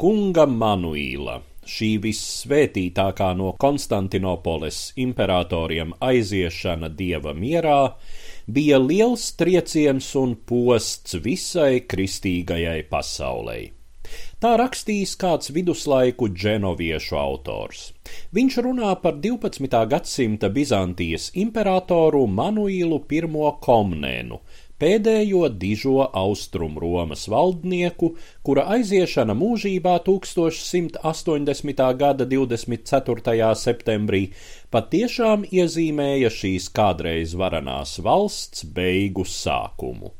kunga Manuila, šī vissvētītākā no Konstantinopoles imperatoriem aiziešana dieva mierā, bija liels trieciens un posts visai kristīgajai pasaulei. Tā rakstījis kāds viduslaiku dženoviešu autors. Viņš runā par 12. gadsimta Bizantijas imperatoru Manuilu I Komnēnu, pēdējo dižo Austrum Romas valdnieku, kura aiziešana mūžībā 1180. gada 24. septembrī patiešām iezīmēja šīs kādreiz varanās valsts beigu sākumu.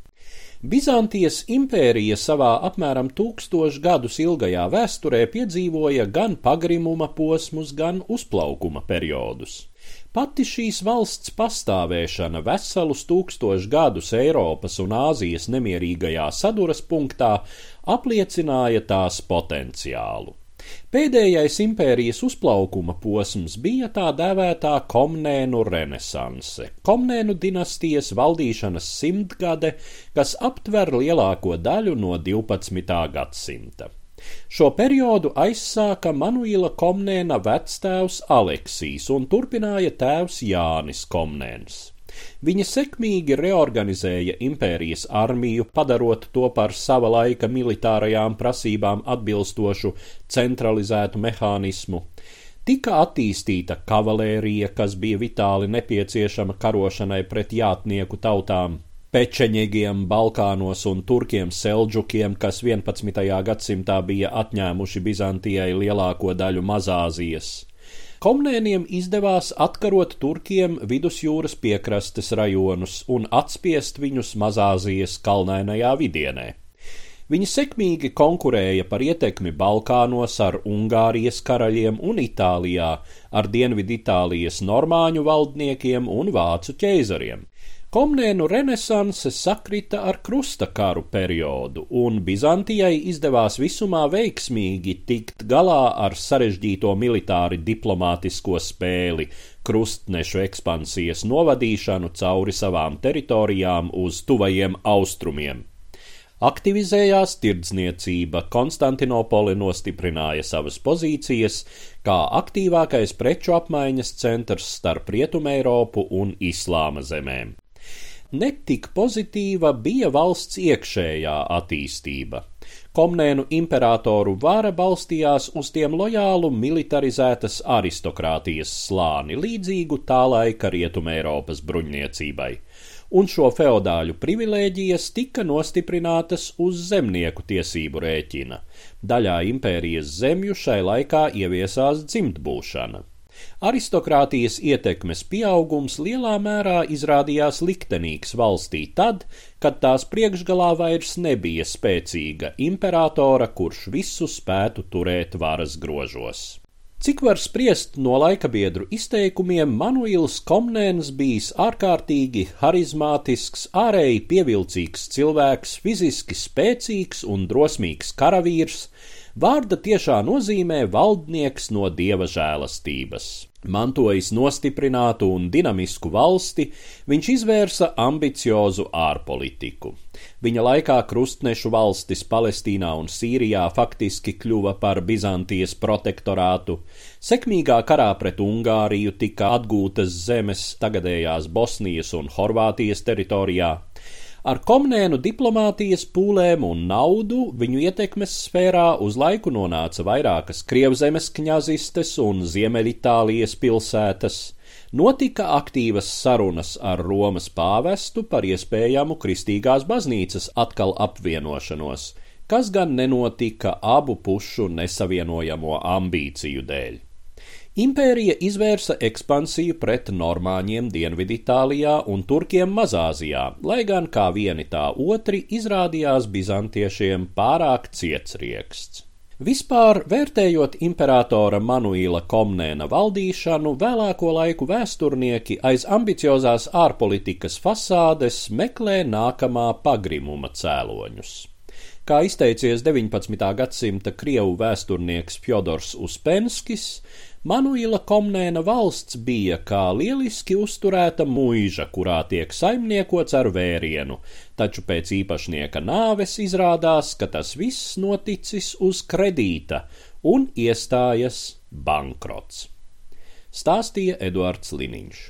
Bizantijas impērija savā apmēram 1000 gadus ilgajā vēsturē piedzīvoja gan pagrimuma posmus, gan uzplaukuma periodus. Pati šīs valsts pastāvēšana veselus 1000 gadus Eiropas un Āzijas nemierīgajā saduras punktā apliecināja tās potenciālu. Pēdējais impērijas uzplaukuma posms bija tā dēvētā Komnēnu renesanse, Komnēnu dinastijas valdīšanas simtgade, kas aptver lielāko daļu no 12. gadsimta. Šo periodu aizsāka Manuila Komnēna vectēvs Aleksijs un turpināja tēvs Jānis Komnēns. Viņi sekmīgi reorganizēja impērijas armiju, padarot to par sava laika militārajām prasībām atbilstošu centralizētu mehānismu. Tika attīstīta kavalērija, kas bija vitāli nepieciešama karošanai pret jātnieku tautām, pečeņegiem Balkānos un turkiem seldžukiem, kas 11. gadsimtā bija atņēmuši Bizantijai lielāko daļu Mazāzijas. Komnēniem izdevās atkarot turkiem vidusjūras piekrastes rajonus un atspiest viņus Mazāzijas kalnainajā vidienē. Viņi sekmīgi konkurēja par ietekmi Balkānos ar Ungārijas karaļiem un Itālijā, ar Dienviditālijas normāņu valdniekiem un vācu ķeizariem. Komnēnu renesanse sakrita ar krusta karu periodu, un Bizantijai izdevās visumā veiksmīgi tikt galā ar sarežģīto militāri diplomātisko spēli, krustnešu ekspansijas novadīšanu cauri savām teritorijām uz tuvajiem austrumiem. Aktivizējās tirdzniecība, Konstantinopole nostiprināja savas pozīcijas kā aktīvākais preču apmaiņas centrs starp Rietumeiropu un Islāma zemēm. Netik pozitīva bija valsts iekšējā attīstība. Komnēnu imperatoru vara balstījās uz tiem lojālu militarizētas aristokrātijas slāni, līdzīgu tā laika Rietumeiropas bruņniecībai, un šo feodāļu privilēģijas tika nostiprinātas uz zemnieku tiesību rēķina. Daļā impērijas zemju šai laikā ieviesās dzimtbūšana. Aristokrātijas ietekmes pieaugums lielā mērā izrādījās liktenīgs valstī tad, kad tās priekšgalā vairs nebija spēcīga imperatora, kurš visu spētu turēt varas grožos. Cik var spriest no laikabiedru izteikumiem, Manuils Komnēns bijis ārkārtīgi harizmātisks, ārēji pievilcīgs cilvēks, fiziski spēcīgs un drosmīgs karavīrs, vārda tiešā nozīmē valdnieks no dieva žēlastības. Mantojis nostiprinātu un dinamisku valsti, viņš izvērsa ambiciozu ārpolitiku. Viņa laikā krustnešu valstis Palestīnā un Sīrijā faktiski kļuva par Bizantijas protektorātu. Sekmīgā karā pret Ungāriju tika atgūtas zemes tagadējās Bosnijas un Horvātijas teritorijā. Ar Komnēnu diplomātijas pūlēm un naudu viņu ietekmes sfērā uz laiku nonāca vairākas Krievzemes kņazistes un Ziemeļitālijas pilsētas. Notika aktīvas sarunas ar Romas pāvestu par iespējamu kristīgās baznīcas atkal apvienošanos, kas gan nenotika abu pušu nesavienojamo ambīciju dēļ. Impērija izvērsa ekspansiju pret normāņiem Dienviditālijā un turkiem Mazāzijā, lai gan kā vieni tā otri izrādījās bizantiešiem pārāk cietsrieksts. Vispār, vērtējot imperatora Manuila Komnēna valdīšanu, vēlāko laiku vēsturnieki aiz ambiciozās ārpolitikas fasādes meklē nākamā pagrimuma cēloņus. Kā izteicies 19. gadsimta krievu vēsturnieks Fjodors Uspenskis, Manuila Komnēna valsts bija kā lieliski uzturēta muiža, kurā tiek saimniekots ar vērienu, taču pēc īpašnieka nāves izrādās, ka tas viss noticis uz kredīta un iestājas bankrots. Stāstīja Eduards Liniņš.